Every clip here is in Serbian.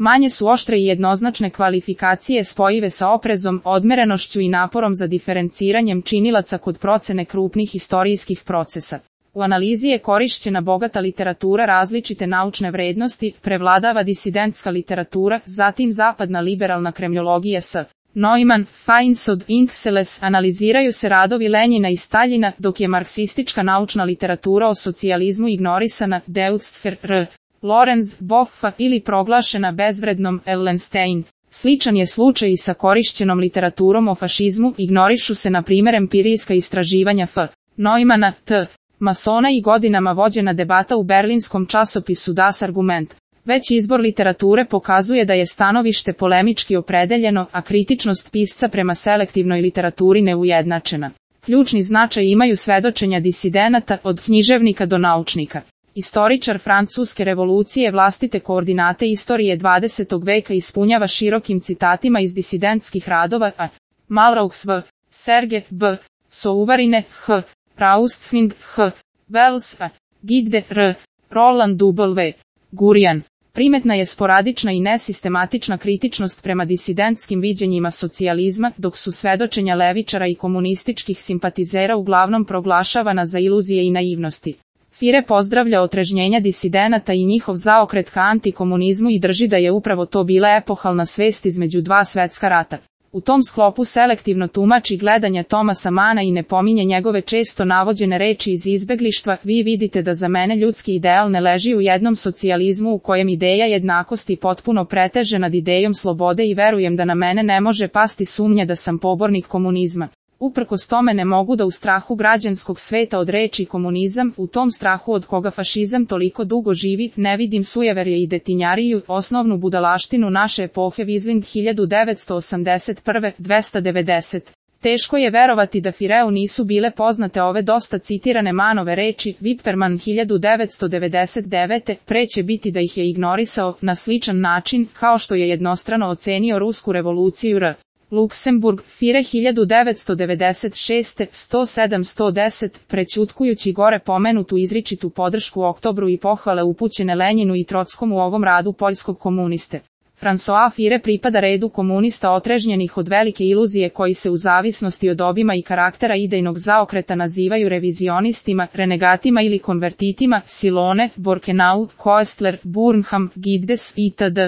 Manje su oštre i jednoznačne kvalifikacije spojive sa oprezom, odmerenošću i naporom za diferenciranjem činilaca kod procene krupnih istorijskih procesa. U analizi je korišćena bogata literatura različite naučne vrednosti, prevladava disidentska literatura, zatim zapadna liberalna kremljologija s. Neumann, Feinsod, Inkselles, analiziraju se radovi Lenjina i Staljina, dok je marksistička naučna literatura o socijalizmu ignorisana, Deutscher R. Lorenz, Boffa ili proglašena bezvrednom, Ellenstein. Sličan je slučaj i sa korišćenom literaturom o fašizmu, ignorišu se na primjer empirijska istraživanja F. Neumanna, T. Masona i godinama vođena debata u berlinskom časopisu Das Argument. Već izbor literature pokazuje da je stanovište polemički opredeljeno, a kritičnost pisca prema selektivnoj literaturi neujednačena. Ključni značaj imaju svedočenja disidenata, od književnika do naučnika. Istoričar Francuske revolucije vlastite koordinate istorije 20. veka ispunjava širokim citatima iz disidentskih radova a. Malraux v. Serge B. Souvarine H. Raustsving H. Wells a. Gide R. Roland W. Gurian. Primetna je sporadična i nesistematična kritičnost prema disidentskim viđenjima socijalizma, dok su svedočenja levičara i komunističkih simpatizera uglavnom proglašavana za iluzije i naivnosti. Fire pozdravlja otrežnjenja disidenata i njihov zaokret ka antikomunizmu i drži da je upravo to bila epohalna svest između dva svetska rata. U tom sklopu selektivno tumači gledanja Thomasa Mana i ne pominje njegove često navođene reči iz izbeglištva. Vi vidite da za mene ljudski ideal ne leži u jednom socijalizmu u kojem ideja jednakosti potpuno preteže nad idejom slobode i verujem da na mene ne može pasti sumnja da sam pobornik komunizma. Uprkos tome ne mogu da u strahu građanskog sveta od reči komunizam, u tom strahu od koga fašizam toliko dugo živi, ne vidim sujeverje i detinjariju, osnovnu budalaštinu naše epohe Visling 1981. 290. Teško je verovati da Fireu nisu bile poznate ove dosta citirane Manove reči, Wipperman 1999. Pre će biti da ih je ignorisao, na sličan način, kao što je jednostrano ocenio rusku revoluciju R. Luksemburg, Fire 1996. 107-110, prećutkujući gore pomenutu izričitu podršku Oktobru i pohvale upućene Lenjinu i Trockom u ovom radu poljskog komuniste. François Fire pripada redu komunista otrežnjenih od velike iluzije koji se u zavisnosti od obima i karaktera idejnog zaokreta nazivaju revizionistima, renegatima ili konvertitima, Silone, Borkenau, Koestler, Burnham, Giddes itd.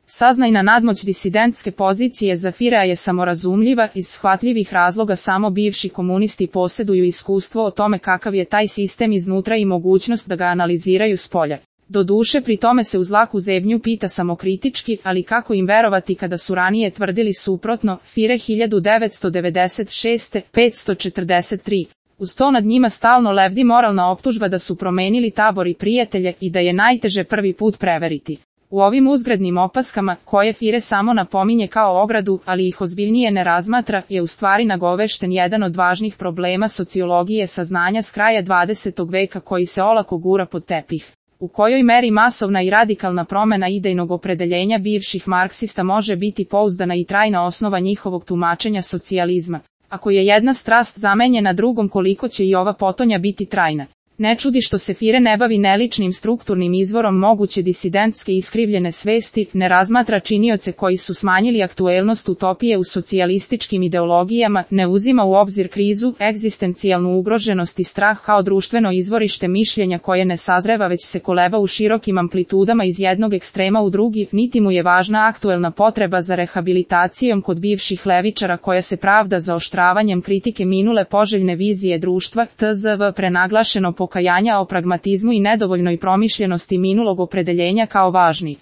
Saznajna nadmoć disidentske pozicije za Firea je samorazumljiva, iz shvatljivih razloga samo bivši komunisti posjeduju iskustvo o tome kakav je taj sistem iznutra i mogućnost da ga analiziraju spolja. Doduše pri tome se uz laku zebnju pita samokritički, ali kako im verovati kada su ranije tvrdili suprotno, Fire 1996. 543. Uz to nad njima stalno lebdi moralna optužba da su promenili tabor i prijatelje i da je najteže prvi put preveriti. U ovim uzgrednim opaskama, koje Fire samo napominje kao ogradu, ali ih ozbiljnije ne razmatra, je u stvari nagovešten jedan od važnih problema sociologije saznanja s kraja 20. veka koji se olako gura pod tepih. U kojoj meri masovna i radikalna promjena idejnog opredeljenja bivših marksista može biti pouzdana i trajna osnova njihovog tumačenja socijalizma. Ako je jedna strast zamenjena drugom, koliko će i ova potonja biti trajna. Ne čudi što se Fire ne bavi neličnim strukturnim izvorom moguće disidentske iskrivljene svesti, ne razmatra činioce koji su smanjili aktuelnost utopije u socijalističkim ideologijama, ne uzima u obzir krizu, egzistencijalnu ugroženost i strah kao društveno izvorište mišljenja koje ne sazreva već se koleba u širokim amplitudama iz jednog ekstrema u drugi, niti mu je važna aktuelna potreba za rehabilitacijom kod bivših levičara koja se pravda zaoštravanjem kritike minule poželjne vizije društva, tzv. Prenaglašeno pokajanja o pragmatizmu i nedovoljnoj promišljenosti minulog opredeljenja kao važni.